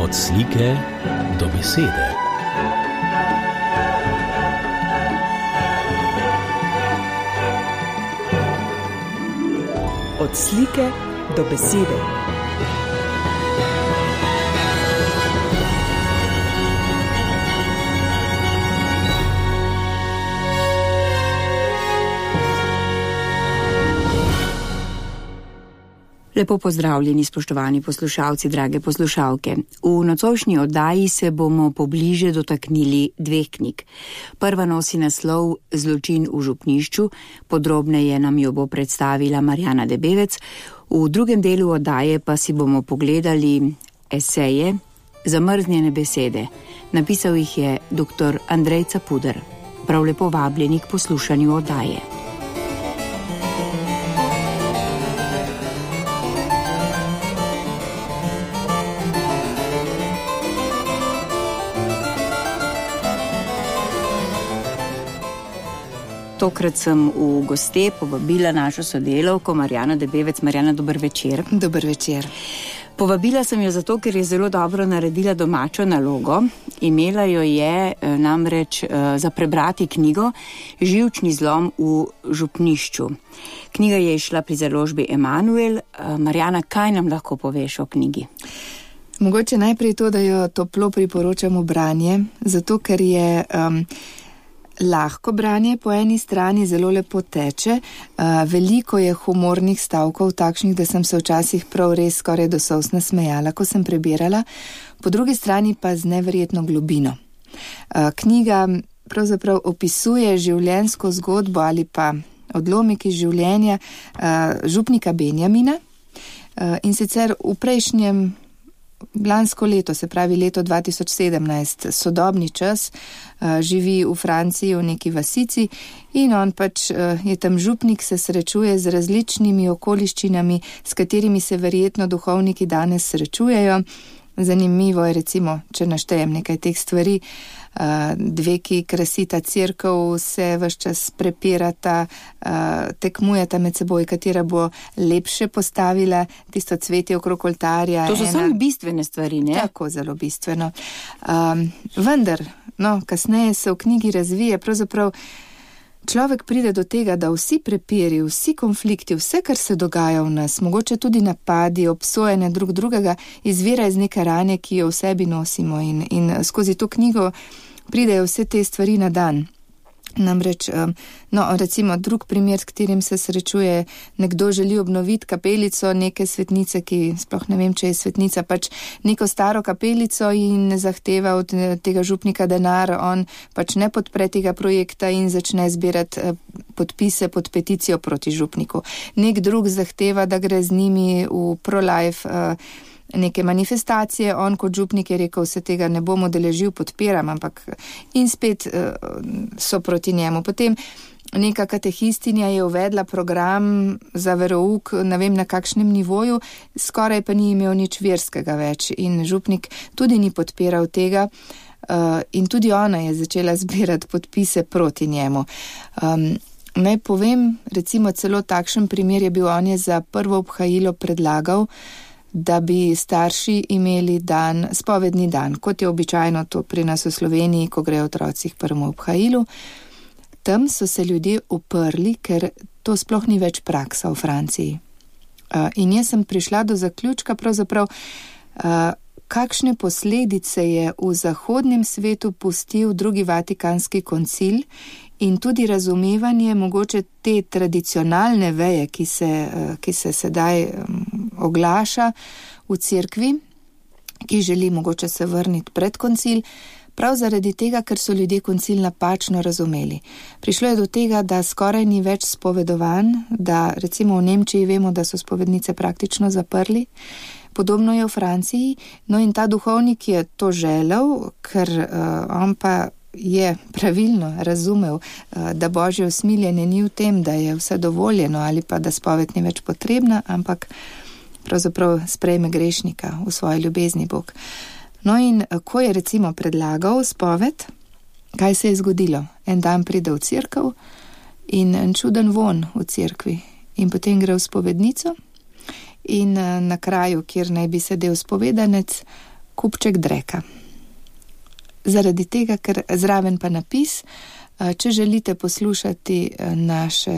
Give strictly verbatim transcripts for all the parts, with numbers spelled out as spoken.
Od slike do besede. Od slike do besede. Lepo pozdravljeni, spoštovani poslušalci, drage poslušalke. V nocojšnji oddaji se bomo pobliže dotaknili dveh knjig. Prva nosi naslov Zločin v župnišču, podrobneje nam jo bo predstavila Marjana Debevec. V drugem delu oddaje pa si bomo pogledali eseje Zamrznjene besede. Napisal jih je dr. Andrej Capuder. Prav lepo vabljeni k poslušanju oddaje. Tokrat sem v goste povabila našo sodelavko Marjano Debevec. Marjana, dober večer. Dober večer. Povabila sem jo zato, ker je zelo dobro naredila domačo nalogo. Imela jo je namreč za prebrati knjigo Živčni zlom v župnišču. Knjiga je išla pri založbi Emanuel. Marjana, kaj nam lahko poveš o knjigi? Mogoče najprej to, da jo toplo priporočam v branje, zato ker je um, lahko branje po eni strani, zelo lepo teče, uh, veliko je humornih stavkov, takšnih, da sem se včasih prav res skoraj do solz nasmejala, ko sem prebirala, po drugi strani pa z neverjetno globino. Uh, knjiga pravzaprav opisuje življenjsko zgodbo ali pa odlomek iz življenja uh, župnika Benjamina uh, in sicer v prejšnjem lansko leto, se pravi leto dva tisoč sedemnajst, sodobni čas, živi v Franciji v neki vasici in on pač je tam župnik, se srečuje z različnimi okoliščinami, s katerimi se verjetno duhovniki danes srečujejo. Zanimivo je recimo, če naštejem nekaj teh stvari, dve, ki krasita cerkev, se ves čas prepirata, tekmujeta med seboj, katera bo lepše postavila tisto cvetje okrog oltarja. To so samo bistvene stvari, ne? Tako, zelo bistveno. Um, vendar, no, kasneje se v knjigi razvije, pravzaprav človek pride do tega, da vsi prepiri, vsi konflikti, vse, kar se dogaja v nas, mogoče tudi napadi, obsojene drug drugega, izvira iz neke rane, ki jo v sebi nosimo in, in skozi to knjigo pridejo vse te stvari na dan. Namreč, no, recimo drug primer, s katerim se srečuje, nekdo želi obnoviti kapelico neke svetnice, ki sploh ne vem, če je svetnica, pač neko staro kapelico in ne zahteva od tega župnika denar, on pač ne podpre tega projekta in začne zbirati podpise pod peticijo proti župniku. Nek drug zahteva, da gre z njimi v pro-life neke manifestacije, on kot župnik je rekel, se tega ne bom udeležil, podpiram, ampak in spet uh, so proti njemu. Potem neka katehistinja je uvedla program za verouk, ne vem na kakšnem nivoju, skoraj pa ni imel nič verskega več in župnik tudi ni podpiral tega uh, in tudi ona je začela zbirati podpise proti njemu. Um, naj povem, recimo celo takšen primer je bil, on je za prvo obhajilo predlagal, da bi starši imeli dan, spovedni dan, kot je običajno to pri nas v Sloveniji, ko grejo otroci k prvemu obhajilu. Tam so se ljudje uprli, ker to sploh ni več praksa v Franciji. Uh, in jaz sem prišla do zaključka, pravzaprav, uh, kakšne posledice je v zahodnem svetu pustil drugi Vatikanski koncil in tudi razumevanje mogoče te tradicionalne veje, ki se, ki se sedaj oglaša v cerkvi, ki želi mogoče se vrniti pred koncil, prav zaradi tega, ker so ljudje koncil napačno razumeli. Prišlo je do tega, da skoraj ni več spovedovan, da recimo v Nemčiji vemo, da so spovednice praktično zaprli, podobno je v Franciji, no in ta duhovnik je to želel, ker uh, on pa je pravilno razumel, da božje usmiljenje ni v tem, da je vse dovoljeno ali pa da spoved ni več potrebna, ampak pravzaprav sprejme grešnika v svoji ljubezni Bog. No in ko je recimo predlagal spoved, kaj se je zgodilo? En dan pride v cerkev in en čuden von v cerkvi in potem gre v spovednico in na kraju, kjer naj bi sedel spovedanec, kupček dreka. Zaradi tega, ker zraven pa napis, če želite poslušati naše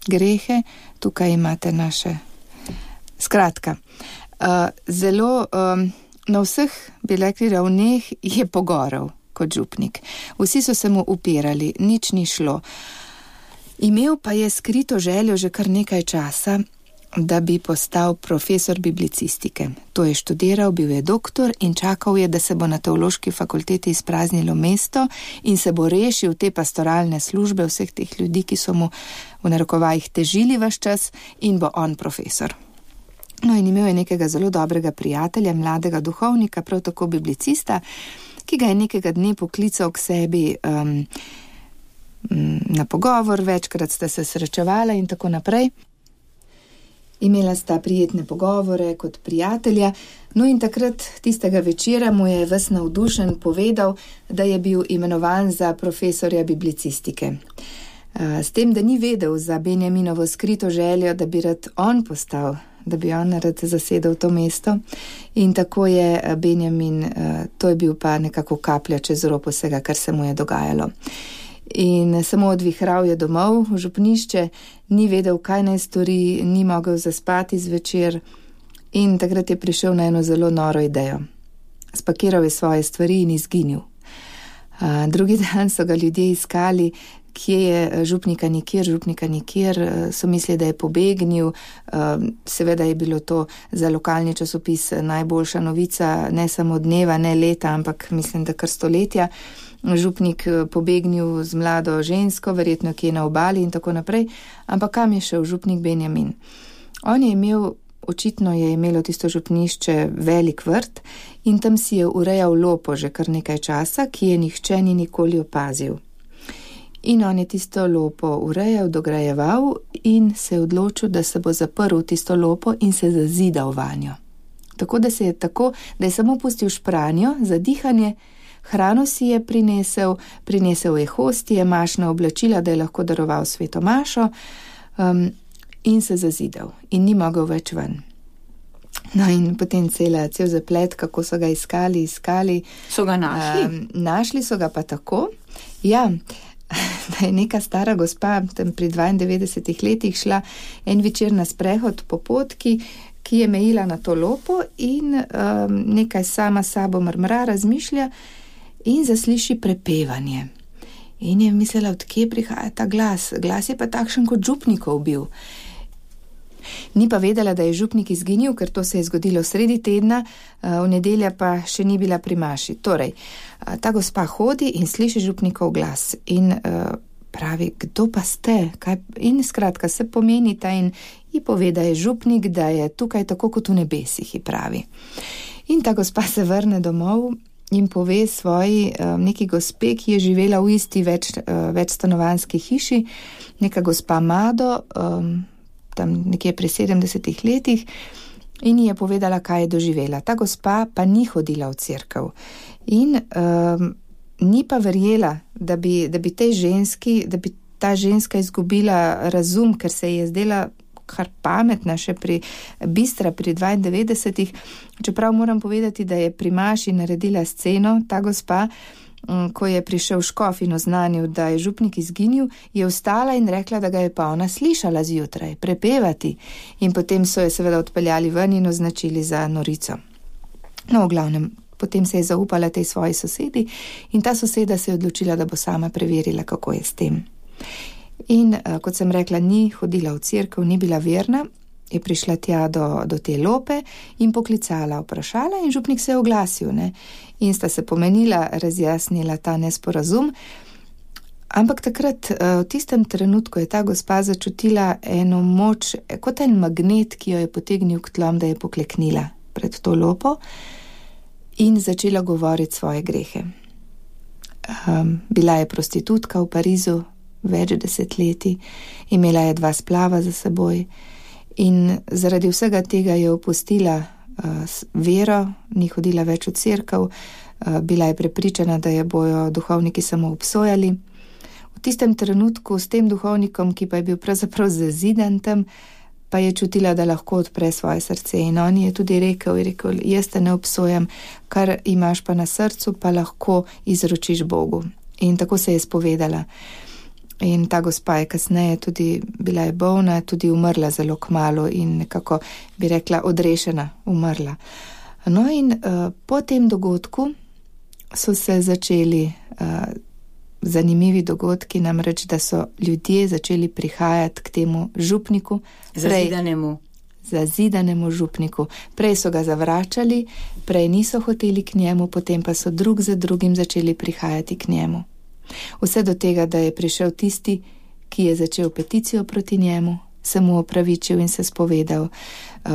grehe, tukaj imate naše. Skratka, zelo na vseh, bi rekli, ravneh je pogoral kot župnik. Vsi so se mu upirali, nič ni šlo. Imel pa je skrito željo že kar nekaj časa, da bi postal profesor biblicistike. To je študiral, bil je doktor in čakal je, da se bo na teološki fakulteti izpraznilo mesto in se bo rešil te pastoralne službe vseh teh ljudi, ki so mu v narekovajih težili vaš čas, in bo on profesor. No, in imel je nekega zelo dobrega prijatelja, mladega duhovnika, prav tako biblicista, ki ga je nekega dne poklical k sebi um, na pogovor, večkrat sta se srečevala in tako naprej. Imela sta prijetne pogovore kot prijatelja, no in takrat tistega večera mu je ves navdušen povedal, da je bil imenovan za profesorja biblicistike. S tem, da ni vedel za Benjaminovo skrito željo, da bi rad on postal, da bi on rad zasedel to mesto, in tako je Benjamin, to je bil pa nekako kaplja čez rob vsega, kar se mu je dogajalo. In samo odvihral je domov v župnišče, ni vedel, kaj naj stori, ni mogel zaspati zvečer in takrat je prišel na eno zelo noro idejo. Spakiral je svoje stvari in izginil. A, drugi dan so ga ljudje iskali, kje je župnika nikjer, župnika nikjer, so mislili, da je pobegnil. Seveda je bilo to za lokalni časopis najboljša novica, ne samo dneva, ne leta, ampak mislim, da kar stoletja. Župnik pobegnil z mlado žensko, verjetno kje na obali in tako naprej, ampak kam je šel župnik Benjamin? On je imel, očitno je imelo tisto župnišče velik vrt in tam si je urejal lopo že kar nekaj časa, ki je nihče ni nikoli opazil. In on je tisto lopo urejal, dograjeval in se je odločil, da se bo zaprl tisto lopo in se zazidal vanjo. Tako da se je tako, da je samo pustil špranjo za dihanje. Hrano si je prinesel, prinesel je hostije, mašna oblačila, da je lahko daroval sveto mašo, um, in se zazidal in ni mogel več ven. No in potem cela, cel zaplet, kako so ga iskali, iskali. So ga našli? Um, našli so ga pa tako, ja, da je neka stara gospa tam pri dvaindevetdesetih letih šla en večer na sprehod po potki, ki je mejila na to lopo in um, nekaj sama sabo mrmra, razmišlja, in zasliši prepevanje. In je mislila, od kje prihaja ta glas. Glas je pa takšen, kot župnikov bil. Ni pa vedela, da je župnik izginil, ker to se je zgodilo sredi tedna, v nedelja pa še ni bila pri maši. Torej, ta gospa hodi in sliši župnikov glas in pravi, kdo pa ste? Kaj? In skratka se pomeni ta in ji pove, da je župnik, da je tukaj tako kot v nebesih, ji pravi. In ta gospa se vrne domov in pove svoji um, neki gospe, ki je živela v isti več, uh, večstanovanski hiši, neka gospa Mado, um, tam nekje pri sedemdesetih letih, in ji je povedala, kaj je doživela. Ta gospa pa ni hodila v cerkev in um, ni pa verjela, da bi, da bi tej ženski, da bi ta ženska izgubila razum, ker se je zdela kar pametna, še pri bistra pri dvaindevetdesetih, čeprav moram povedati, da je pri maši naredila sceno, ta gospa, ko je prišel škof in oznanil, da je župnik izginil, je vstala in rekla, da ga je pa ona slišala zjutraj prepevati in potem so jo seveda odpeljali ven in označili za norico. No, v glavnem, potem se je zaupala tej svoji sosedi in ta soseda se je odločila, da bo sama preverila, kako je s tem. In kot sem rekla, ni hodila v cerkev, ni bila verna, je prišla tja do, do te lope in poklicala, vprašala in župnik se je oglasil, ne? In sta se pomenila, razjasnila ta nesporazum, ampak takrat v tistem trenutku je ta gospa začutila eno moč, kot en magnet, ki jo je potegnil k tlom, da je pokleknila pred to lopo in začela govoriti svoje grehe. Um, bila je prostitutka v Parizu, več desetletij, imela je dva splava za seboj in zaradi vsega tega je opustila uh, vero, ni hodila več v cerkev, uh, bila je prepričana, da je bojo duhovniki samo obsojali. V tistem trenutku s tem duhovnikom, ki pa je bil pravzaprav zazidan tam, pa je čutila, da lahko odpre svoje srce. In on je tudi rekel, je rekel, jaz te ne obsojam, kar imaš pa na srcu, pa lahko izročiš Bogu. In tako se je spovedala. In ta gospa je kasneje tudi bila je bolna, tudi umrla zelo kmalu in nekako bi rekla odrešena, umrla. No in uh, po tem dogodku so se začeli uh, zanimivi dogodki, namreč, da so ljudje začeli prihajati k temu župniku. Zazidanemu. Zazidanemu župniku. Prej so ga zavračali, prej niso hoteli k njemu, potem pa so drug za drugim začeli prihajati k njemu. Vse do tega, da je prišel tisti, ki je začel peticijo proti njemu, se mu opravičil in se spovedal.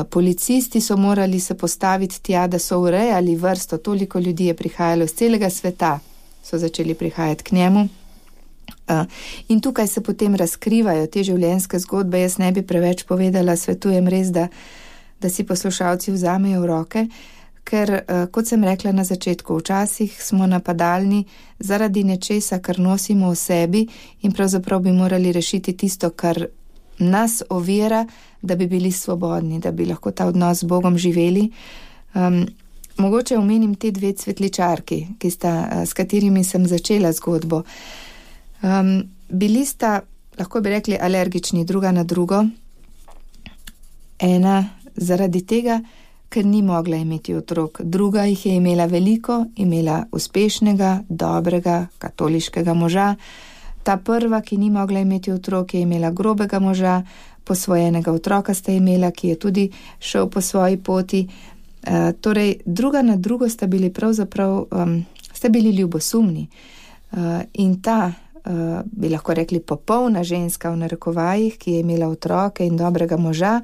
Policisti so morali se postaviti tja, da so urejali vrsto, toliko ljudi je prihajalo z celega sveta, so začeli prihajati k njemu. In tukaj se potem razkrivajo te življenjske zgodbe. Jaz ne bi preveč povedala, svetujem res, da, da si poslušalci vzamejo v roke, ker, kot sem rekla na začetku, včasih smo napadalni zaradi nečesa, kar nosimo v sebi in pravzaprav bi morali rešiti tisto, kar nas ovira, da bi bili svobodni, da bi lahko ta odnos z Bogom živeli. Um, mogoče omenim te dve cvetličarki, ki sta, s katerimi sem začela zgodbo. Um, bili sta, lahko bi rekli, alergični druga na drugo. Ena zaradi tega, ker ni mogla imeti otrok. Druga jih je imela veliko, imela uspešnega, dobrega, katoliškega moža. Ta prva, ki ni mogla imeti otrok, je imela grobega moža, posvojenega otroka sta imela, ki je tudi šel po svoji poti. E, torej, druga na drugo sta bili pravzaprav, um, sta bili ljubosumni. E, in ta, uh, bi lahko rekli, popolna ženska v narekovajih, ki je imela otroke in dobrega moža,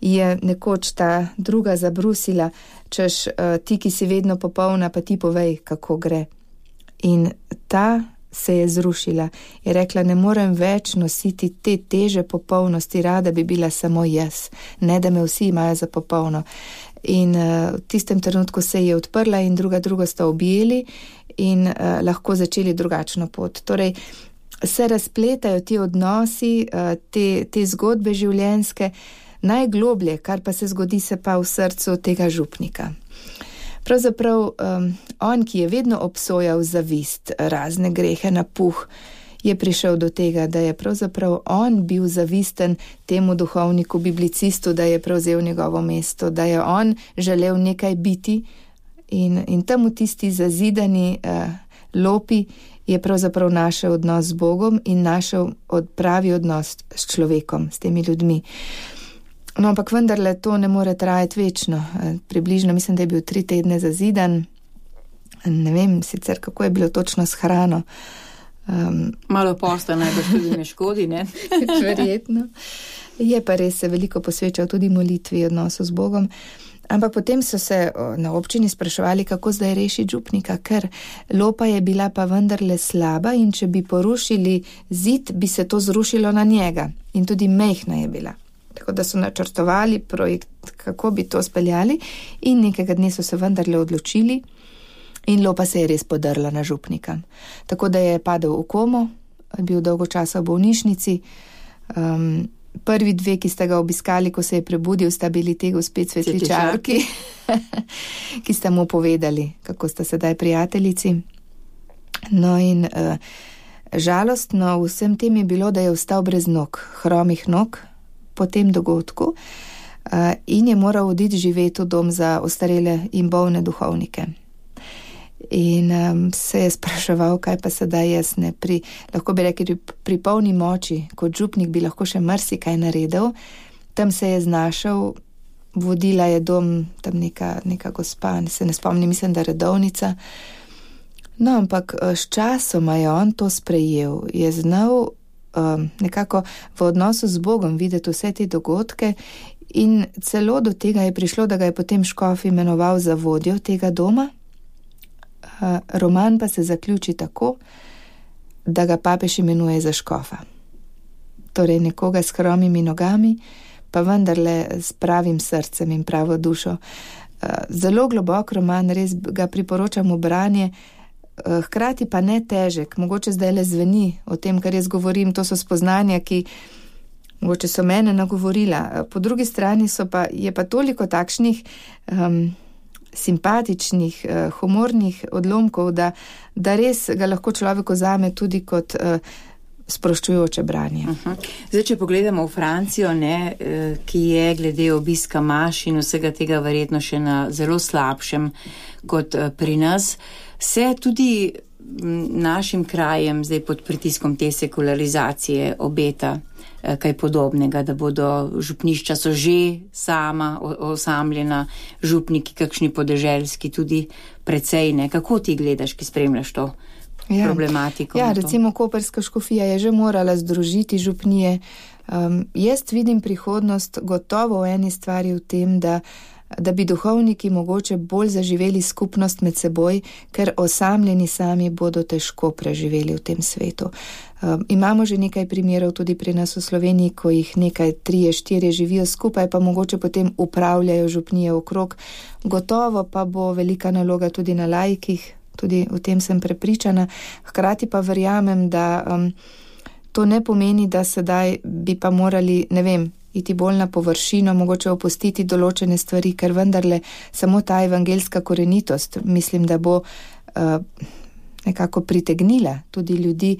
je nekoč ta druga zabrusila, češ, uh, ti, ki si vedno popolna, pa ti povej, kako gre. In ta se je zrušila. Je rekla, ne morem več nositi te teže popolnosti, rada bi bila samo jaz, ne da me vsi imajo za popolno. In uh, v tistem trenutku se je odprla in druga drugo sta objeli in uh, lahko začeli drugačno pot. Torej, se razpletajo ti odnosi, uh, te, te zgodbe življenjske, najgloblje, kar pa se zgodi, se pa v srcu tega župnika. Pravzaprav um, on, ki je vedno obsojal zavist, razne grehe, napuh, je prišel do tega, da je pravzaprav on bil zavisten temu duhovniku, biblicistu, da je prevzel njegovo mesto, da je on želel nekaj biti in, in tam v tisti zazidani uh, lopi je pravzaprav našel odnos z Bogom in našel od pravi odnos s človekom, s temi ljudmi. No, ampak vendarle to ne more trajati večno. Približno, mislim, da je bil tri tedne zazidan. Ne vem sicer, kako je bilo točno s hrano. Um, Malo posta najbolj tudi ne škodi, ne? Verjetno. Je pa res se veliko posvečal tudi molitvi, odnosu z Bogom. Ampak potem so se na občini spraševali, kako zdaj rešiti župnika, ker lopa je bila pa vendarle slaba in če bi porušili zid, bi se to zrušilo na njega. In tudi mehna je bila. Tako da so načrtovali projekt, kako bi to speljali in nekega dne so se vendarle odločili in lopa se je res podrla na župnika. Tako da je padel v komo, bil dolgo časa v bolnišnici. Um, prvi dve, ki sta ga obiskali, ko se je prebudil, sta bili te gospe cvetličarki, ki sta mu povedali, kako sta sedaj prijateljici. No in uh, žalostno vsem tem je bilo, da je ostal brez nog, hromih nog, po tem dogodku uh, in je moral oditi živeti v dom za ostarele in bolne duhovnike. In um, se je spraševal, kaj pa sedaj jaz ne, pri, lahko bi rekli, pri polni moči, kot župnik bi lahko še marsikaj naredil, tam se je znašel, vodila je dom tam neka, neka gospa, se ne spomnim, mislim, da redovnica. No, ampak s časoma je on to sprejel, je znal Um, nekako v odnosu z Bogom videti vse te dogodke in celo do tega je prišlo, da ga je potem škof imenoval za vodjo tega doma. Uh, roman pa se zaključi tako, da ga papež imenuje za škofa. Torej nekoga s hromimi nogami, pa vendarle s pravim srcem in pravo dušo. Uh, zelo globok roman, res ga priporočam v branje, hkrati pa ne težek, mogoče zdaj le zveni o tem, kar jaz govorim, to so spoznanja, ki mogoče so mene nagovorila. Po drugi strani so pa, je pa toliko takšnih um, simpatičnih, uh, humornih odlomkov, da, da res ga lahko človek vzame tudi kot uh, sproščujoče branje. Uh-huh. Zdaj, če pogledamo v Francijo, ne, ki je glede obiska maš in vsega tega verjetno še na zelo slabšem kot pri nas, se tudi našim krajem zdaj pod pritiskom te sekularizacije obeta kaj podobnega, da bodo župnišča so že sama osamljena, župniki kakšni podeželski tudi precej, ne. Kako ti gledaš, ki spremljaš to ja. problematiko? Ja, recimo Koprska škofija je že morala združiti župnije. Um, jaz vidim prihodnost gotovo v eni stvari v tem, da da bi duhovniki mogoče bolj zaživeli skupnost med seboj, ker osamljeni sami bodo težko preživeli v tem svetu. Um, imamo že nekaj primerov tudi pri nas v Sloveniji, ko jih nekaj trije, štirje živijo skupaj, pa mogoče potem upravljajo župnije okrog. Gotovo pa bo velika naloga tudi na laikih, tudi o tem sem prepričana. Hkrati pa verjamem, da um, to ne pomeni, da sedaj bi pa morali, ne vem, iti bolj na površino, mogoče opustiti določene stvari, ker vendarle samo ta evangelska korenitost, mislim, da bo uh, nekako pritegnila tudi ljudi,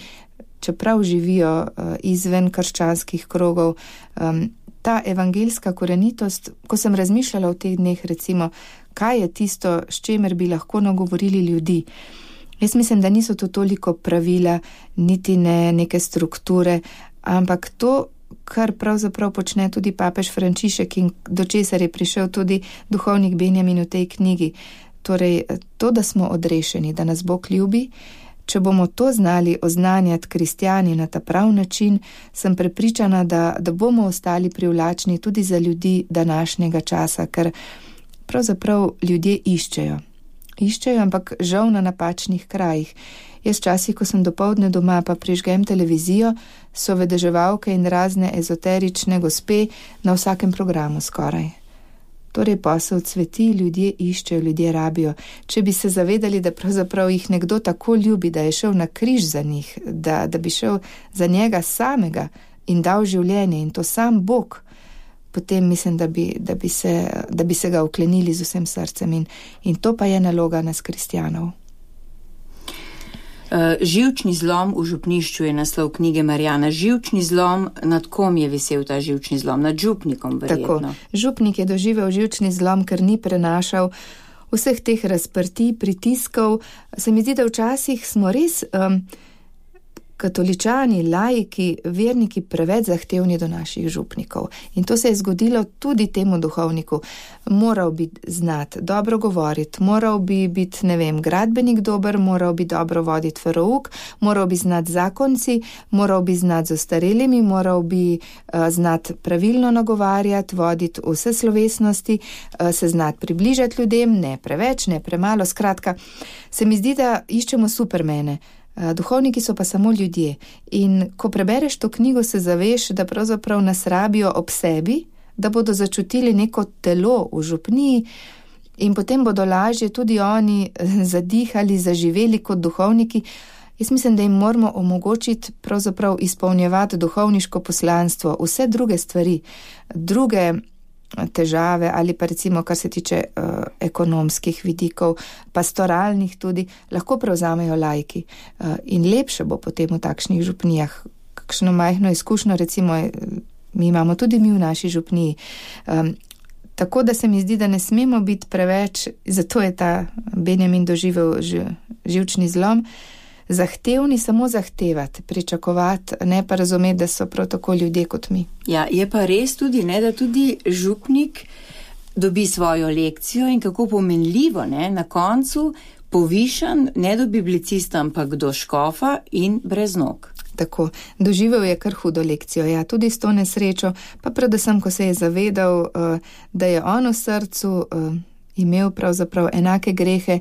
čeprav živijo uh, izven krščanskih krogov. Um, ta evangelska korenitost, ko sem razmišljala v teh dneh, recimo, kaj je tisto, s čemer bi lahko nagovorili ljudi. Jaz mislim, da niso to toliko pravila, niti ne neke strukture, ampak to, kar pravzaprav počne tudi papež Frančišek in do česar je prišel tudi duhovnik Benjamin v tej knjigi. Torej, to, da smo odrešeni, da nas Bog ljubi, če bomo to znali oznanjati kristjani na ta prav način, sem prepričana, da, da bomo ostali privlačni tudi za ljudi današnjega časa, ker pravzaprav ljudje iščejo. Iščejo, ampak žal na napačnih krajih. Jaz časih, ko sem dopoldne doma, pa prižgem televizijo, so vedeževalke in razne ezoterične gospe na vsakem programu skoraj. Torej posel cveti, ljudje iščejo, ljudje rabijo. Če bi se zavedali, da pravzaprav jih nekdo tako ljubi, da je šel na križ za njih, da, da bi šel za njega samega in dal življenje in to sam Bog, potem mislim, da bi, da bi, se, da bi se ga uklenili z vsem srcem in, in to pa je naloga nas kristjanov. Uh, živčni zlom v župnišču je naslov knjige Marjana. Živčni zlom, nad kom je visel ta živčni zlom? Nad župnikom, verjetno. Tako, župnik je doživel živčni zlom, ker ni prenašal vseh teh razprtij, pritiskov. Se mi zdi, da včasih smo res um, katoličani, laiki, verniki preveč zahtevni do naših župnikov. In to se je zgodilo tudi temu duhovniku. Moral bi znati dobro govoriti, moral bi biti, ne vem, gradbenik dober, moral bi dobro voditi verouk, moral bi znati zakonci, moral bi znati z ostarelimi, moral bi uh, znati pravilno nagovarjati, voditi vse slovesnosti, uh, se znati približati ljudem, ne preveč, ne premalo. Skratka, se mi zdi, da iščemo supermene. Duhovniki so pa samo ljudje in ko prebereš to knjigo, se zaveš, da pravzaprav nas rabijo ob sebi, da bodo začutili neko telo v župniji in potem bodo lažje tudi oni zadihali, zaživeli kot duhovniki. Jaz mislim, da jim moramo omogočiti pravzaprav izpolnjevati duhovniško poslanstvo, vse druge stvari, druge težave ali pa recimo, kar se tiče uh, ekonomskih vidikov, pastoralnih tudi, lahko prevzamejo laiki. Uh, in lepše bo potem v takšnih župnijah. Kakšno majhno izkušnjo, recimo, mi imamo tudi mi v naši župniji. Um, tako da se mi zdi, da ne smemo biti preveč, zato je ta Benjamin doživel ž, živčni zlom, zahtevni samo zahtevati, pričakovati, ne pa razumeti, da so prav tako ljudje kot mi. Ja, je pa res tudi, ne, da tudi župnik dobi svojo lekcijo in kako pomenljivo, ne, na koncu povišan, ne do biblicista, ampak do škofa in brez nog. Tako, doživel je kar hudo lekcijo, ja, tudi s to nesrečo, pa predvsem, ko se je zavedal, da je on v srcu imel pravzaprav enake grehe,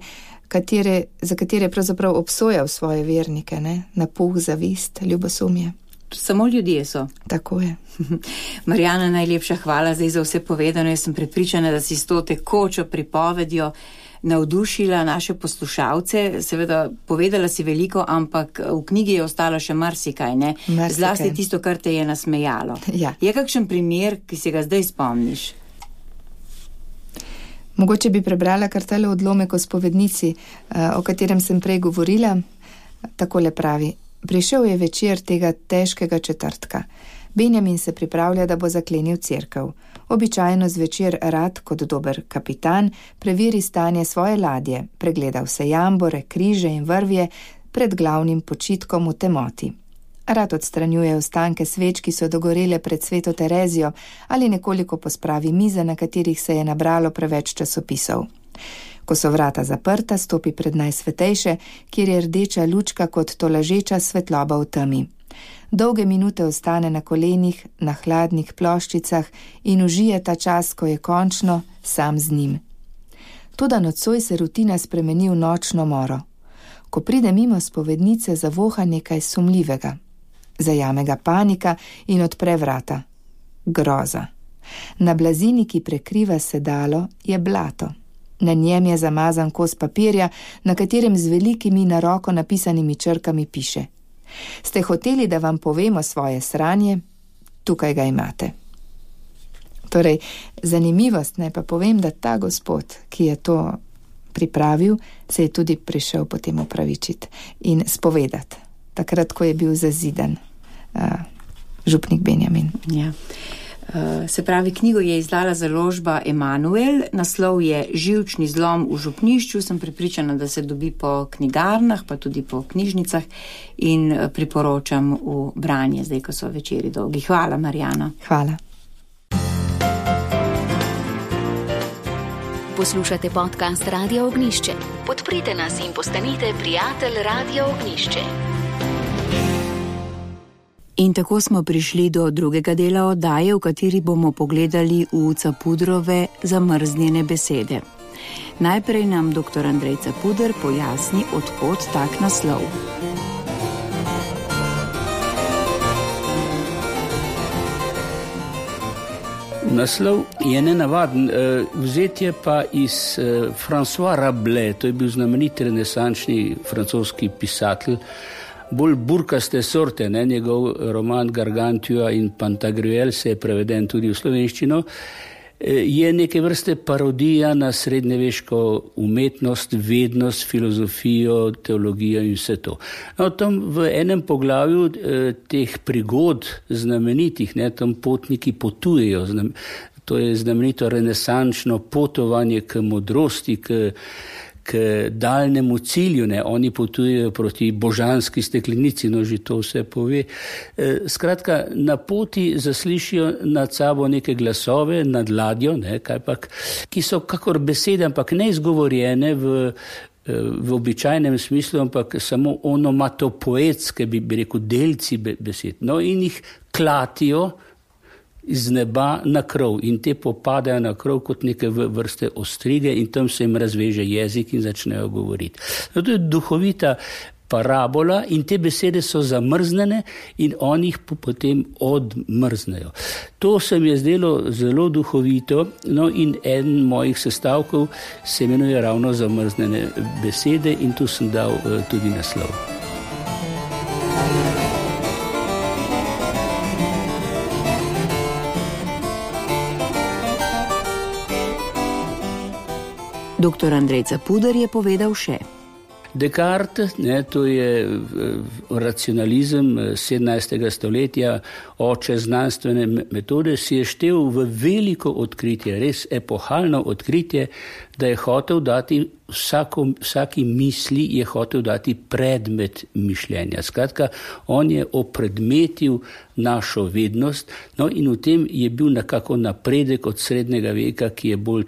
Katere, za katere pravzaprav obsojal svoje vernike, ne? Napuh, zavist, ljubosumje. Samo ljudje so. Tako je. Marjana, najlepša hvala zdaj za vse povedano. Jaz sem prepričana, da si s to tekočo pripovedjo navdušila naše poslušalce. Seveda, povedala si veliko, ampak v knjigi je ostalo še marsikaj, ne? Marsikaj. Zlasti tisto, kar te je nasmejalo. Ja. Je kakšen primer, ki si ga zdaj spomniš? Mogoče bi prebrala kar tale odlomek o spovednici, o katerem sem prej govorila. Takole pravi: prišel je večer tega težkega četrtka. Benjamin se pripravlja, da bo zaklenil cerkev. Običajno zvečer rad, kot dober kapitan, preveri stanje svoje ladje, pregleda vse jambore, križe in vrvje pred glavnim počitkom v temoti. Rad odstranjuje ostanke sveč, ki so dogorele pred Sveto Terezijo, ali nekoliko pospravi mize, na katerih se je nabralo preveč časopisov. Ko so vrata zaprta, stopi pred najsvetejše, kjer je rdeča lučka kot tolažeča svetloba v temi. Dolge minute ostane na kolenih, na hladnih ploščicah in užije ta čas, ko je končno sam z njim. Toda nocoj se rutina spremeni v nočno moro. Ko pride mimo spovednice, zavoha nekaj sumljivega. Zajame ga panika in odpre vrata. Groza. Na blazini, ki prekriva sedalo, je blato. Na njem je zamazan kos papirja, na katerem z velikimi na roko napisanimi črkami piše: ste hoteli, da vam povemo svoje sranje? Tukaj ga imate. Torej, zanimivost, naj pa povem, da ta gospod, ki je to pripravil, se je tudi prišel potem opravičiti in spovedati, takrat, ko je bil zazidan uh, župnik Benjamin. Ja. Uh, se pravi, knjigo je izdala založba Emanuel, naslov je Živčni zlom v župnišču. Sem prepričana, da se dobi po knjigarnah, pa tudi po knjižnicah, in priporočam v branje, zdaj, ko so večeri dolgi. Hvala, Marjana. Hvala. Poslušate podcast Radia Ognjišče. Podprite nas in postanite prijatelj Radia Ognjišče. In tako smo prišli do drugega dela oddaje, v kateri bomo pogledali v Capudrove zamrznjene besede. Najprej nam doktor Andrej Capuder pojasni, od kod tak naslov. Naslov je nenavaden, vzet je pa iz François Rabelais, to je bil znameniti renesančni francoski pisatelj, bolj burkaste sorte, ne? Njegov roman Gargantua in Pantagruel se je preveden tudi v slovenščino, je neke vrste parodija na srednjeveško umetnost, vednost, filozofijo, teologijo in vse to. No, tam v enem poglavju eh, teh prigod znamenitih, ne, tam potniki potujejo, znam, to je znamenito renesančno potovanje k modrosti, k k daljnemu cilju, ne, oni potujejo proti božanski steklenici, no že to vse pove. E, skratka, na poti zaslišijo nad sabo neke glasove, nad ladjo, ne, kajpak, ki so kakor besede, ampak ne izgovorjene v, v običajnem smislu, ampak samo onomatopoetske, bi, bi rekel, delci besed. No, in jih klatijo iz neba na krov in te popadajo na krov kot neke vrste ostrige in tam se jim razveže jezik in začnejo govoriti. No, to je duhovita parabola in te besede so zamrznjene in oni jih potem odmrznejo. To se mi je zdelo zelo duhovito, no in en mojih sestavkov se imenuje ravno zamrznjene besede in tu sem dal uh, tudi naslov. Doktor Andrej Capuder je povedal še: Descartes, ne, to je racionalizem sedemnajstega stoletja, oče znanstvene metode, si je štel v veliko odkritje, res epohalno odkritje, da je hotel dati vsako, vsaki misli je hotel dati predmet mišljenja. Skratka, on je opredmetil našo vednost, no in v tem je bil nekako napredek od srednjega veka, ki je bolj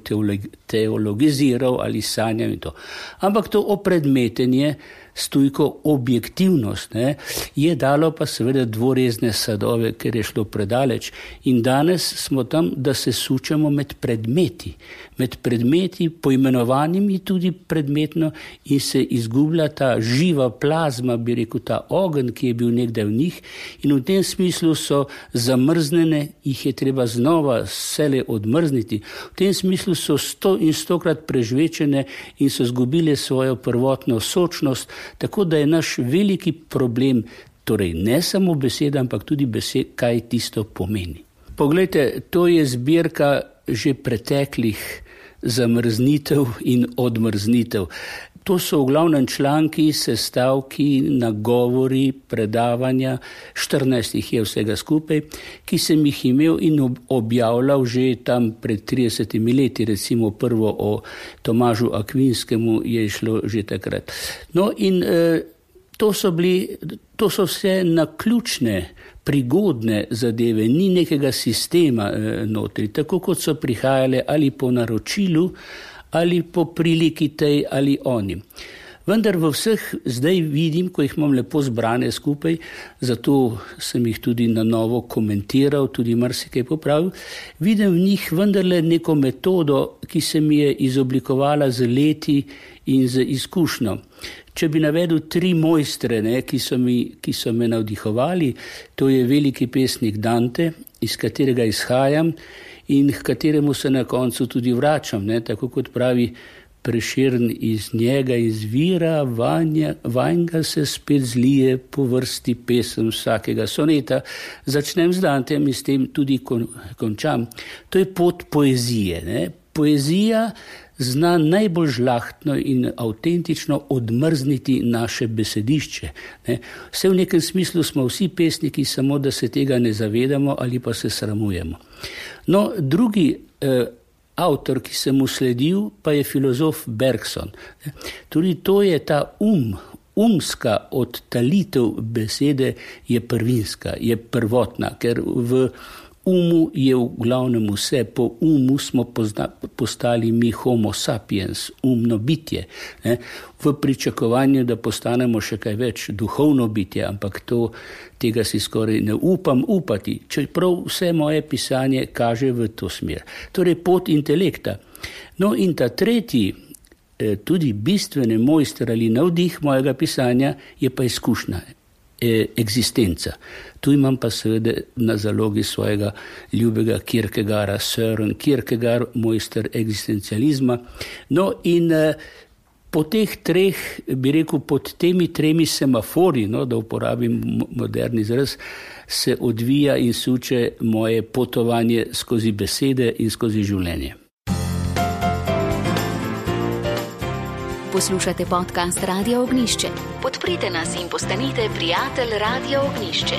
teologiziral ali sanjal in to. Ampak to opredmetenje stojko objektivnost, ne, je dalo pa seveda dvorezne sadove, ker je šlo predaleč. In danes smo tam, da se sučemo med predmeti, med predmeti poimenovanimi tudi predmetno in se izgublja ta živa plazma, bi rekel, ta ogenj, ki je bil nekdaj v njih, in v tem smislu so zamrznjene, jih je treba znova vsele odmrzniti. V tem smislu so sto in stokrat prežvečene in so zgubile svojo prvotno sočnost, tako da je naš veliki problem, torej ne samo beseda, ampak tudi besed, kaj tisto pomeni. Poglejte, to je zbirka že preteklih zamrznitev in odmrznitev. To so v glavnem članki, sestavki, nagovori, predavanja, štirinajst jih je vsega skupaj, ki sem jih imel in objavljal že tam pred tridesetimi leti, recimo prvo o Tomažu Akvinskemu je šlo že takrat. No in eh, to so bili, to so vse naključne, prigodne zadeve, ni nekega sistema eh, notri, tako kot so prihajale ali po naročilu, ali po priliki tej ali oni. Vendar v vseh zdaj vidim, ko jih imam lepo zbrane skupaj, zato sem jih tudi na novo komentiral, tudi marsikaj popravil, vidim v njih vendarle neko metodo, ki se mi je izoblikovala z leti in z izkušnjo. Če bi navedel tri mojstre, ne, ki, so mi, ki so me navdihovali, to je veliki pesnik Dante, iz katerega izhajam, in k kateremu se na koncu tudi vračam, ne, tako kot pravi Prešern, iz njega izvira, vanja, vanjga se spet zlije po vrsti pesem vsakega soneta. Začnem z Dantem in s tem tudi kon, končam. To je pot poezije. Ne. Poezija zna najbolj žlahtno in avtentično odmrzniti naše besedišče. Ne. Vse v nekem smislu smo vsi pesniki, samo da se tega ne zavedamo ali pa se sramujemo. No, drugi eh, avtor, ki sem mu sledil, pa je filozof Bergson. Tudi to je ta um, umska odtalitev besede je prvinska, je prvotna, ker v umu je v glavnem vse, po umu smo pozna, postali mi homo sapiens, umno bitje, ne? V pričakovanju, da postanemo še kaj več duhovno bitje, ampak to, tega si skoraj ne upam upati, čeprav vse moje pisanje kaže v to smer. Torej pot intelekta. No in ta tretji, tudi bistveni mojster ali navdih mojega pisanja je pa izkušnja. Eksistenca. Tu imam pa seveda na zalogi svojega ljubega Kierkegaarda, Søren Kierkegaard, mojster eksistencializma. No in eh, po teh treh, bi rekel, pod temi tremi semafori, no, da uporabim moderni izraz, se odvija in suče moje potovanje skozi besede in skozi življenje. Poslušate podcast Radio Ognišče. Podprite nas in postanite prijatelj Radio Ognišče.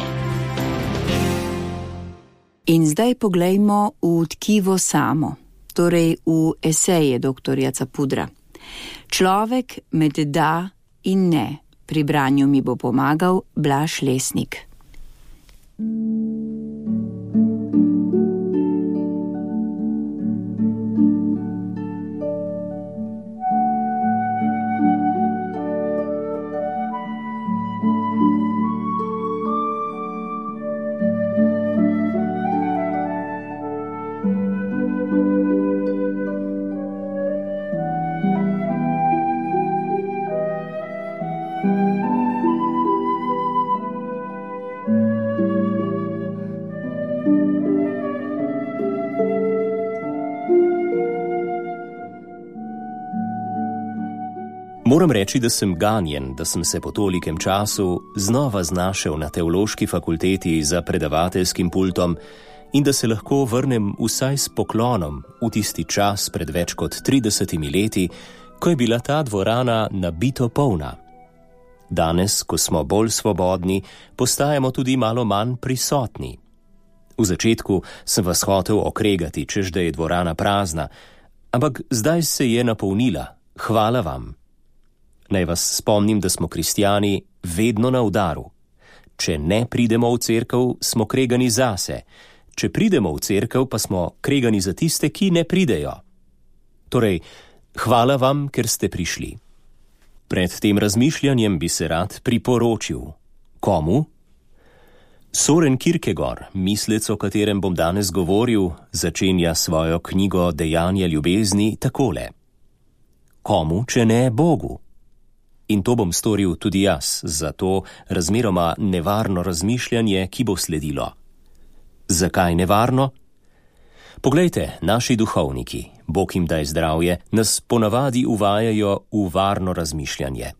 In zdaj poglejmo v tkivo samo, torej v eseje doktorja Capudra. Človek med da in ne. Pri branju mi bo pomagal Blaž Lesnik. Moram reči, da sem ganjen, da sem se po tolikem času znova znašel na teološki fakulteti za predavateljskim pultom in da se lahko vrnem vsaj s poklonom v tisti čas pred več kot tridesetimi leti, ko je bila ta dvorana nabito polna. Danes, ko smo bolj svobodni, postajamo tudi malo manj prisotni. V začetku sem vas hotel okregati, češ da je dvorana prazna, ampak zdaj se je napolnila. Hvala vam. Naj vas spomnim, da smo kristjani vedno na udaru. Če ne pridemo v cerkev, smo kregani zase. Če pridemo v cerkev, pa smo kregani za tiste, ki ne pridejo. Torej, hvala vam, ker ste prišli. Pred tem razmišljanjem bi se rad priporočil. Komu? Soren Kierkegaard, mislec, o katerem bom danes govoril, začenja svojo knjigo Dejanja ljubezni takole. Komu, če ne Bogu? In to bom storil tudi jaz, za to razmeroma nevarno razmišljanje, ki bo sledilo. Zakaj nevarno? Poglejte, naši duhovniki, Bog jim daj zdravje, nas ponavadi uvajajo v varno razmišljanje.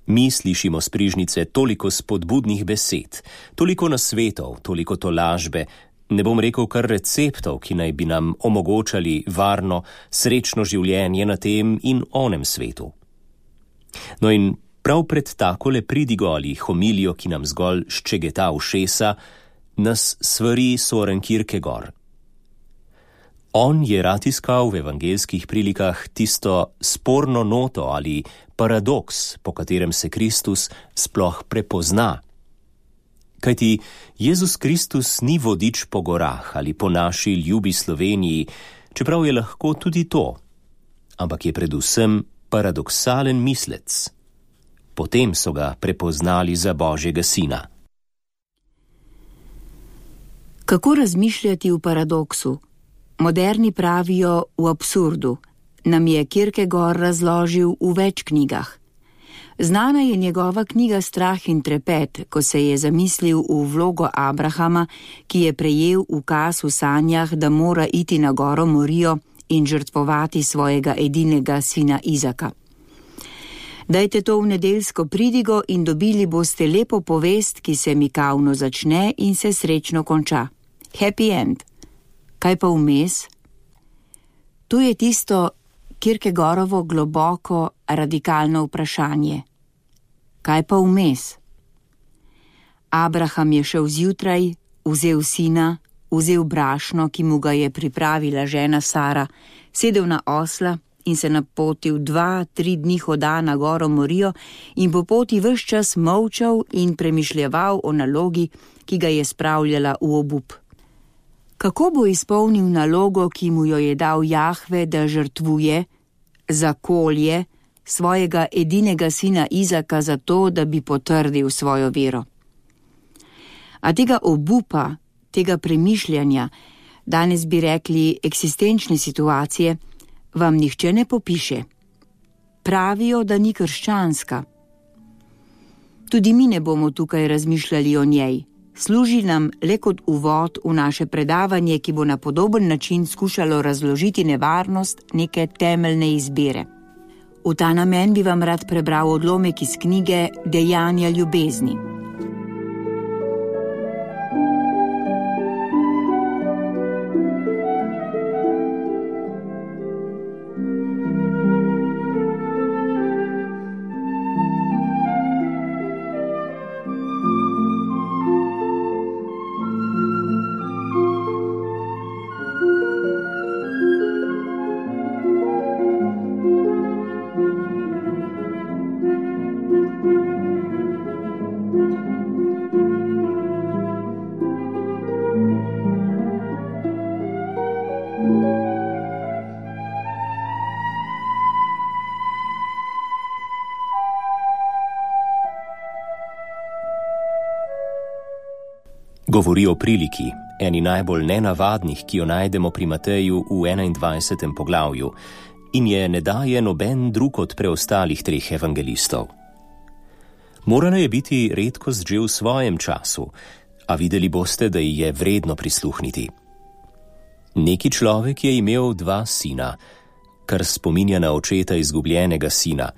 Mi slišimo s prižnice toliko spodbudnih besed, toliko nasvetov, toliko tolažbe, ne bom rekel kar receptov, ki naj bi nam omogočali varno, srečno življenje na tem in onem svetu. No in prav pred takole pridigo ali homilijo, ki nam zgolj ščegeta ušesa, nas svari Soren Kierkegaard. On je rad iskal v evangelskih prilikah tisto sporno noto ali paradoks, po katerem se Kristus sploh prepozna. Kajti Jezus Kristus ni vodič po gorah ali po naši ljubi Sloveniji, čeprav je lahko tudi to, ampak je predvsem paradoksalen mislec. Potem so ga prepoznali za Božjega sina. Kako razmišljati v paradoksu? Moderni pravijo v absurdu, nam je Kierkegaard razložil v več knjigah. Znana je njegova knjiga Strah in trepet, ko se je zamislil v vlogo Abrahama, ki je prejel ukaz v sanjah, da mora iti na goro Morijo in žrtvovati svojega edinega sina Izaka. Dajte to v nedeljsko pridigo in dobili boste lepo povest, ki se mikavno začne in se srečno konča. Happy end. Kaj pa vmes? To je tisto Kierkegaardovo globoko, radikalno vprašanje. Kaj pa vmes? Abraham je šel zjutraj, vzel sina, vzel brašno, ki mu ga je pripravila žena Sara, sedel na osla in se napotil dva, tri dni hoda na goro Morijo in po poti ves čas molčal in premišljeval o nalogi, ki ga je spravljala v obup. Kako bo izpolnil nalogo, ki mu jo je dal Jahve, da žrtvuje, zakolje svojega edinega sina Izaka za to, da bi potrdil svojo vero? A tega obupa, tega premišljanja, danes bi rekli eksistenčne situacije, vam nihče ne popiše. Pravijo, da ni krščanska. Tudi mi ne bomo tukaj razmišljali o njej. Služi nam le kot uvod v naše predavanje, ki bo na podoben način skušalo razložiti nevarnost neke temeljne izbire. V ta namen bi vam rad prebral odlomek iz knjige Dejanja ljubezni. Govori o priliki, eni najbolj nenavadnih, ki jo najdemo pri Mateju v enaindvajsetem poglavju, in je ne daje noben drug od preostalih treh evangelistov. Morala je biti redkost že v svojem času, a videli boste, da ji je vredno prisluhniti. Neki človek je imel dva sina, kar spominja na očeta izgubljenega sina.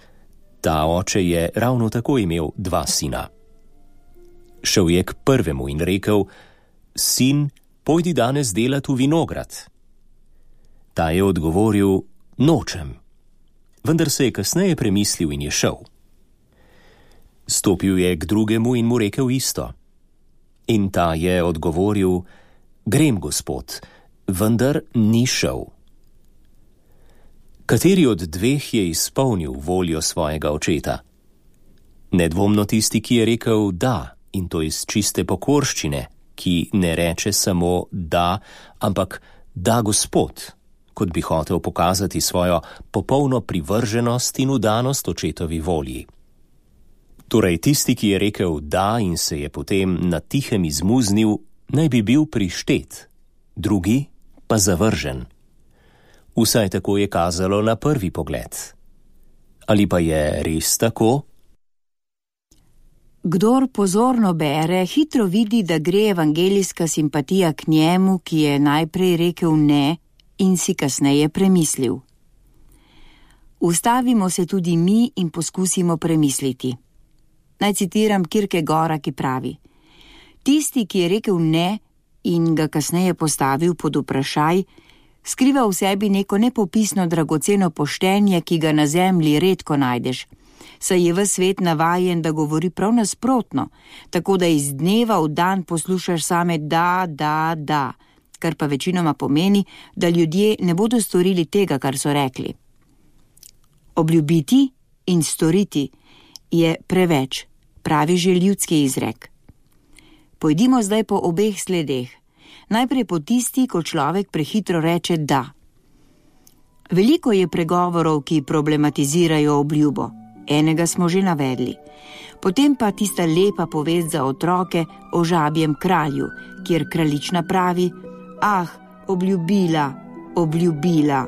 Ta oče je ravno tako imel dva sina. Šel je k prvemu in rekel: Sin, pojdi danes delat v vinograd. Ta je odgovoril: Nočem. Vendar se je kasneje premislil in je šel. Stopil je k drugemu in mu rekel isto. In ta je odgovoril: Grem, gospod, vendar ni šel. Kateri od dveh je izpolnil voljo svojega očeta? Nedvomno tisti, ki je rekel da, in to iz čiste pokorščine, ki ne reče samo da, ampak da, gospod, kot bi hotel pokazati svojo popolno privrženost in vdanost očetovi volji. Torej, tisti, ki je rekel da in se je potem na tihem izmuznil, naj bi bil prištet, drugi pa zavržen. Vsaj tako je kazalo na prvi pogled. Ali pa je res tako? Kdor pozorno bere, hitro vidi, da gre evangelijska simpatija k njemu, ki je najprej rekel ne in si kasneje premislil. Ustavimo se tudi mi in poskusimo premisliti. Naj citiram Kierkegaarda, ki pravi: tisti, ki je rekel ne in ga kasneje postavil pod vprašaj, skriva v sebi neko nepopisno dragoceno poštenje, ki ga na zemlji redko najdeš, saj je ves svet navajen, da govori prav nasprotno, tako da iz dneva v dan poslušaš same da, da, da, kar pa večinoma pomeni, da ljudje ne bodo storili tega, kar so rekli. Obljubiti in storiti je preveč, pravi že ljudski izrek. Pojdimo zdaj po obeh sledeh. Najprej po tisti, ko človek prehitro reče da. Veliko je pregovorov, ki problematizirajo obljubo. Enega smo že navedli. Potem pa tista lepa povest za otroke o žabjem kralju, kjer kraljična pravi: ah, obljubila, obljubila.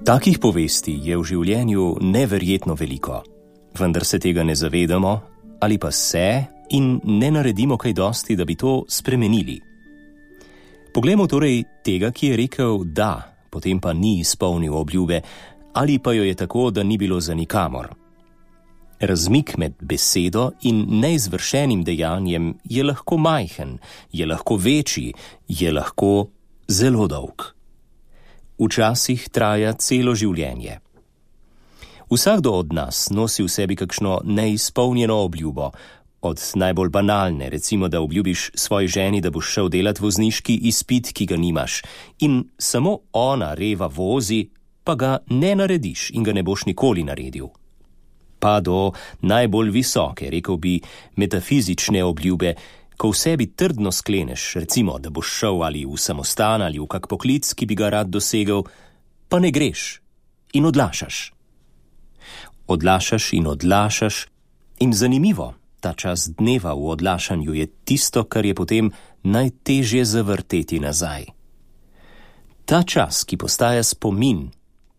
Takih povesti je v življenju neverjetno veliko, vendar se tega ne zavedamo ali pa se in ne naredimo kaj dosti, da bi to spremenili. Poglejmo torej tega, ki je rekel da, potem pa ni izpolnil obljube, ali pa jo je tako, da ni bilo za nikamor. Razmik med besedo in neizvršenim dejanjem je lahko majhen, je lahko večji, je lahko zelo dolg. Včasih traja celo življenje. Vsakdo od nas nosi v sebi kakšno neizpolnjeno obljubo, od najbolj banalne, recimo, da obljubiš svoji ženi, da boš šel delat vozniški izpit, ki ga nimaš, in samo ona reva vozi, pa ga ne narediš in ga ne boš nikoli naredil. Pa do najbolj visoke, rekel bi, metafizične obljube, ko v sebi trdno skleneš, recimo, da boš šel ali v samostan ali v kak poklic, ki bi ga rad dosegel, pa ne greš in odlašaš. Odlašaš in odlašaš in zanimivo, ta čas dneva v odlašanju je tisto, kar je potem najtežje zavrteti nazaj. Ta čas, ki postaja spomin,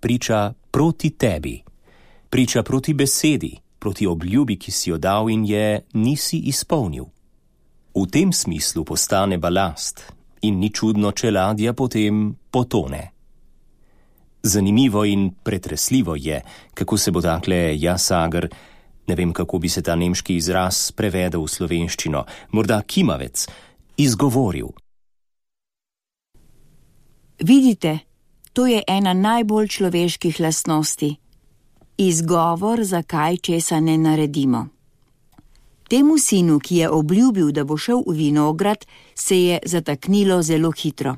priča proti tebi, priča proti besedi, proti obljubi, ki si jo dal in je nisi izpolnil. V tem smislu postane balast in ni čudno, če ladja potem potone. Zanimivo in pretresljivo je, kako se bo takle jasager, ne vem, kako bi se ta nemški izraz prevedel v slovenščino, morda kimavec, izgovoril. Vidite, to je ena najbolj človeških lastnosti. Izgovor, zakaj česa ne naredimo. Temu sinu, ki je obljubil, da bo šel v vinograd, se je zataknilo zelo hitro.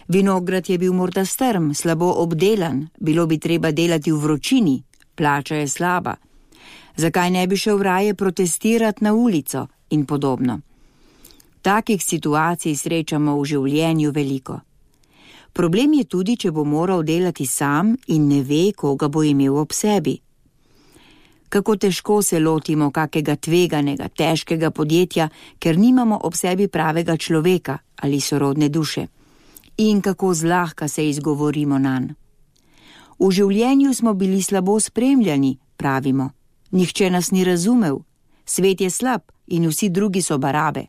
Vinograd je bil morda strm, slabo obdelan, bilo bi treba delati v vročini, plača je slaba. Zakaj ne bi šel raje protestirati na ulico in podobno? Takih situacij srečamo v življenju veliko. Problem je tudi, če bo moral delati sam in ne ve, koga bo imel ob sebi. Kako težko se lotimo kakega tveganega, težkega podjetja, ker nimamo ob sebi pravega človeka ali sorodne duše. In kako zlahka se izgovorimo nanj. V življenju smo bili slabo spremljani, pravimo. Nihče nas ni razumel. Svet je slab in vsi drugi so barabe.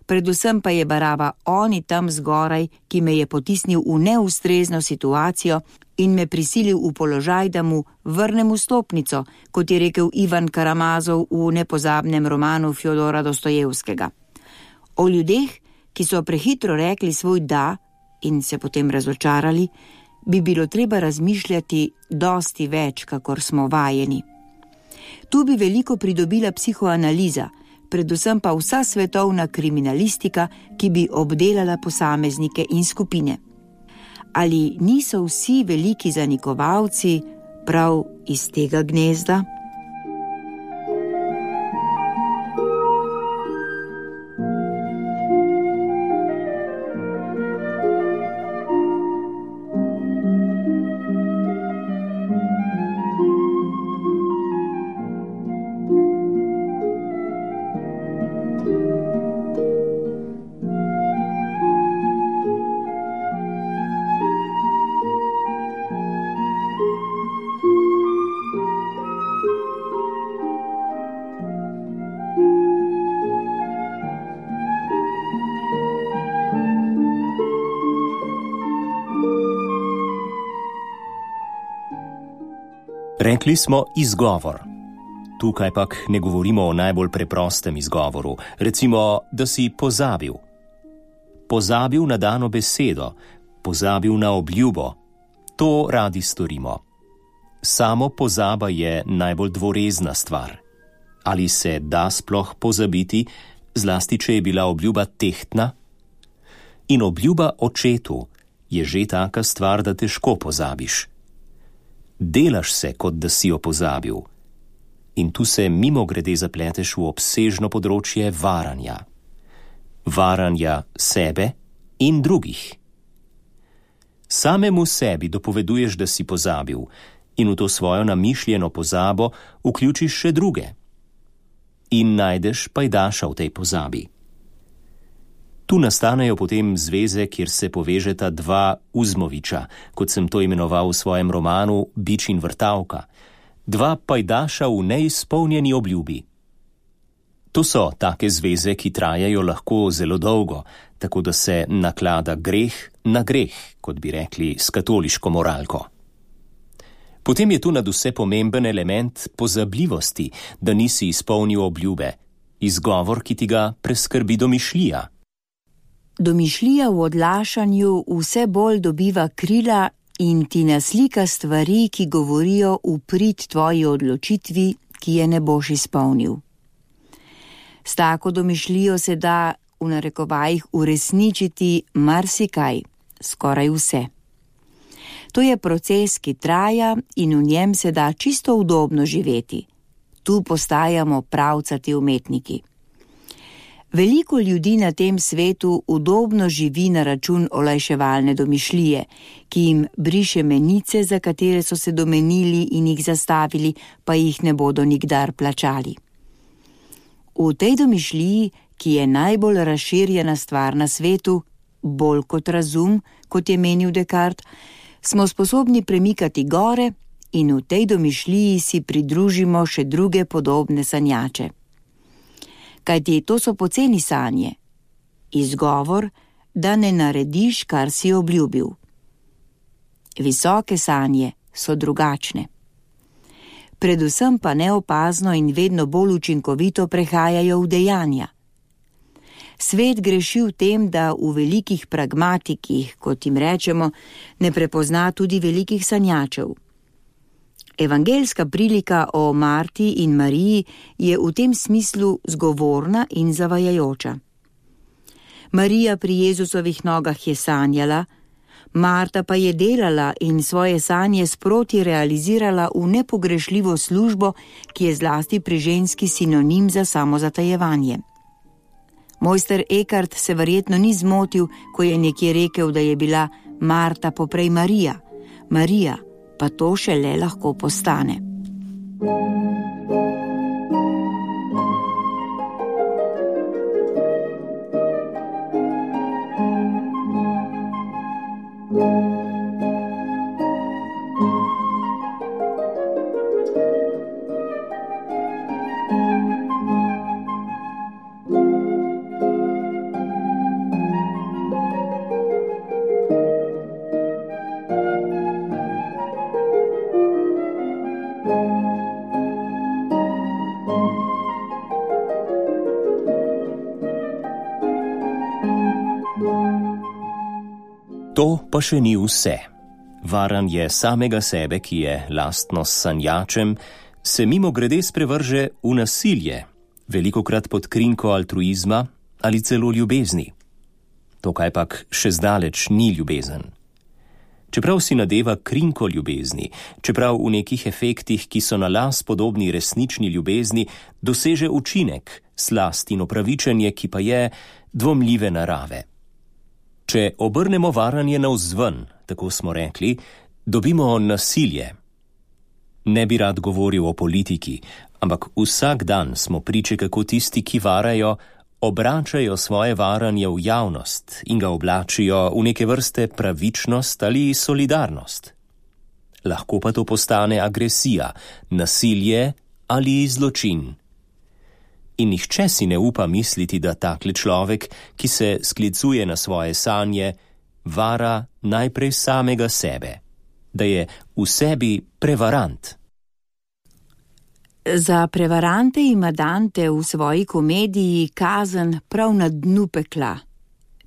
Predvsem pa je baraba oni tam zgoraj, ki me je potisnil v neustrezno situacijo in me prisilil v položaj, da mu vrnem vstopnico, kot je rekel Ivan Karamazov v nepozabnem romanu Fjodora Dostojevskega. O ljudeh, ki so prehitro rekli svoj da, in se potem razočarali, bi bilo treba razmišljati dosti več, kakor smo vajeni. Tu bi veliko pridobila psihoanaliza, predvsem pa vsa svetovna kriminalistika, ki bi obdelala posameznike in skupine. Ali niso vsi veliki zanikovalci prav iz tega gnezda? Rekli smo izgovor. Tukaj pak ne govorimo o najbolj preprostem izgovoru, recimo, da si pozabil. Pozabil na dano besedo, pozabil na obljubo. To radi storimo. Samo pozaba je najbolj dvorezna stvar. Ali se da sploh pozabiti, zlasti če je bila obljuba tehtna? In obljuba očetu je že taka stvar, da težko pozabiš. Delaš se, kot da si jo pozabil. In tu se mimogrede zapleteš v obsežno področje varanja. Varanja sebe in drugih. Samemu sebi dopoveduješ, da si pozabil, in v to svojo namišljeno pozabo vključiš še druge. In najdeš pajdaša v tej pozabi. Tu nastanejo potem zveze, kjer se povežeta dva Uzmoviča, kot sem to imenoval v svojem romanu Bič in vrtavka. Dva pajdaša v neizpolnjeni obljubi. To so take zveze, ki trajajo lahko zelo dolgo, tako da se naklada greh na greh, kot bi rekli s katoliško moralko. Potem je tu nadvse pomemben element pozabljivosti, da nisi izpolnil obljube, izgovor, ki ti ga preskrbi domišljija. Domišljija v odlašanju vse bolj dobiva krila in ti naslika stvari, ki govorijo v prid tvoji odločitvi, ki je ne boš izpolnil. S tako domišljijo se da v narekovajih uresničiti marsikaj, skoraj vse. To je proces, ki traja in v njem se da čisto udobno živeti. Tu postajamo pravcati umetniki. Veliko ljudi na tem svetu udobno živi na račun olajševalne domišljije, ki jim briše menice, za katere so se domenili in jih zastavili, pa jih ne bodo nikdar plačali. V tej domišljiji, ki je najbolj razširjena stvar na svetu, bolj kot razum, kot je menil Descartes, smo sposobni premikati gore in v tej domišljiji si pridružimo še druge podobne sanjače. Kajti to so poceni sanje. Izgovor, da ne narediš, kar si obljubil. Visoke sanje so drugačne. Predvsem pa neopazno in vedno bolj učinkovito prehajajo v dejanja. Svet greši v tem, da v velikih pragmatikih, kot jim rečemo, ne prepozna tudi velikih sanjačev. Evangeljska prilika o Marti in Mariji je v tem smislu zgovorna in zavajajoča. Marija pri Jezusovih nogah je sanjala, Marta pa je delala in svoje sanje sproti realizirala v nepogrešljivo službo, ki je zlasti pri ženski sinonim za samozatajevanje. Mojster Eckhart se verjetno ni zmotil, ko je nekje rekel, da je bila Marta poprej Marija, Marija pa to šele lahko postane. To pa še ni vse. Varanje samega sebe, ki je lastno sanjačem, se mimo grede sprevrže v nasilje, velikokrat pod krinko altruizma ali celo ljubezni. To kajpak še zdaleč ni ljubezen. Čeprav si nadeva krinko ljubezni, čeprav v nekih efektih, ki so na las podobni resnični ljubezni, doseže učinek, slast in opravičenje, ki pa je dvomljive narave. Če obrnemo varanje navzven, tako smo rekli, dobimo nasilje. Ne bi rad govoril o politiki, ampak vsak dan smo priče, kako tisti, ki varajo, obračajo svoje varanje v javnost in ga oblačijo v neke vrste pravičnost ali solidarnost. Lahko pa to postane agresija, nasilje ali zločin. In nihče si ne upa misliti, da takle človek, ki se sklicuje na svoje sanje, vara najprej samega sebe, da je v sebi prevarant. Za prevarante ima Dante v svoji komediji Kazen prav na dnu pekla,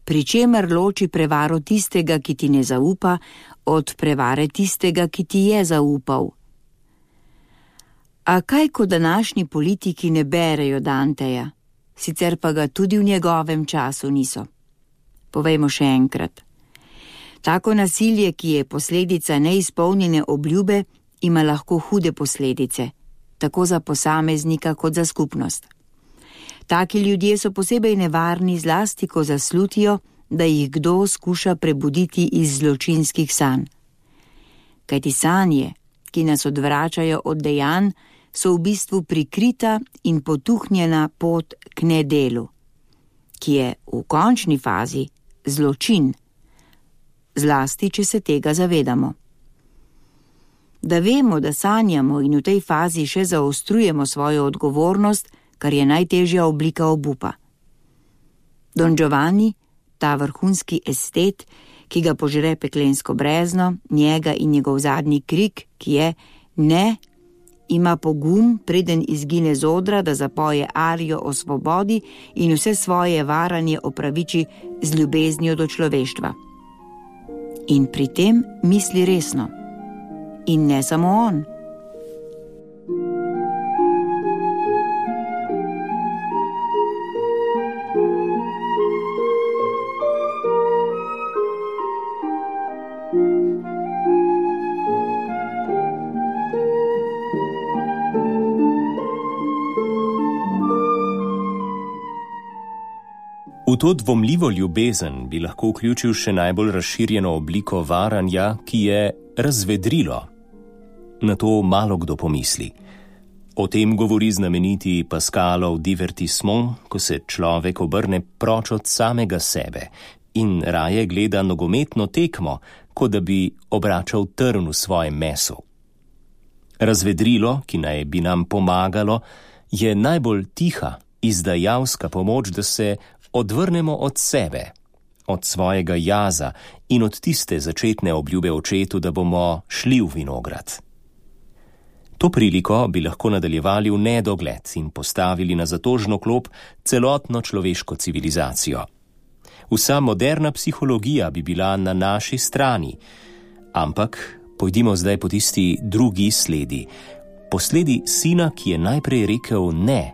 pri čemer loči prevaro tistega, ki ti ne zaupa, od prevare tistega, ki ti je zaupal. A kaj, ko današnji politiki ne berejo Danteja, sicer pa ga tudi v njegovem času niso? Povejmo še enkrat. Tako nasilje, ki je posledica neizpolnjene obljube, ima lahko hude posledice, tako za posameznika kot za skupnost. Taki ljudje so posebej nevarni, zlasti ko zaslutijo, da jih kdo skuša prebuditi iz zločinskih sanj. Kajti sanje, ki nas odvračajo od dejanj, so v bistvu prikrita in potuhnjena pot k nedelu, ki je v končni fazi zločin, zlasti, če se tega zavedamo. Da vemo, da sanjamo in v tej fazi še zaostrujemo svojo odgovornost, kar je najtežja oblika obupa. Don Giovanni, ta vrhunski estet, ki ga požre peklensko brezno, njega in njegov zadnji krik, ki je ne, ima pogum, preden izgine z odra, da zapoje arijo o svobodi in vse svoje varanje opraviči z ljubeznijo do človeštva. In pri tem misli resno. In ne samo on. V to dvomljivo ljubezen bi lahko vključil še najbolj razširjeno obliko varanja, ki je razvedrilo. Na to malo kdo pomisli. O tem govori znameniti Pascalov divertissement, ko se človek obrne proč od samega sebe in raje gleda nogometno tekmo, kot da bi obračal trn v svojem mesu. Razvedrilo, ki naj bi nam pomagalo, je najbolj tiha, izdajalska pomoč, da se odvrnemo od sebe, od svojega jaza in od tiste začetne obljube očetu, da bomo šli v vinograd. To priliko bi lahko nadaljevali v nedogled in postavili na zatožno klop celotno človeško civilizacijo. Vsa moderna psihologija bi bila na naši strani, ampak pojdimo zdaj po tisti drugi sledi, po sledi sina, ki je najprej rekel ne,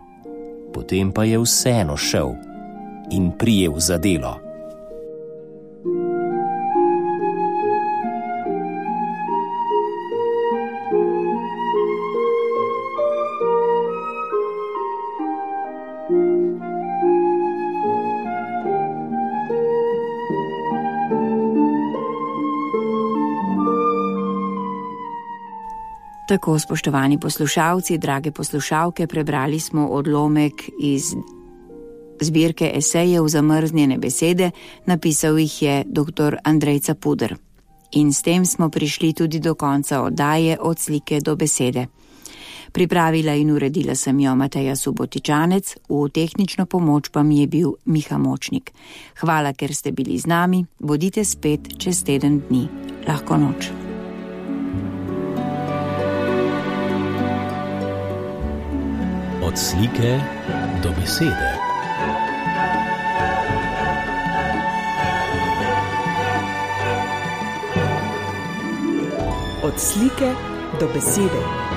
potem pa je vseeno šel in prijel za delo. Tako, spoštovani poslušalci, drage poslušalke, prebrali smo odlomek iz zbirke esejev Zamrznjene besede, napisal jih je dr. Andrej Capuder. In s tem smo prišli tudi do konca oddaje Od slike do besede. Pripravila in uredila sem jo Mateja Subotičanec, v tehnično pomoč pa mi je bil Miha Močnik. Hvala, ker ste bili z nami, bodite spet čez teden dni. Lahko noč. Od slike do besede. Od slike do besede.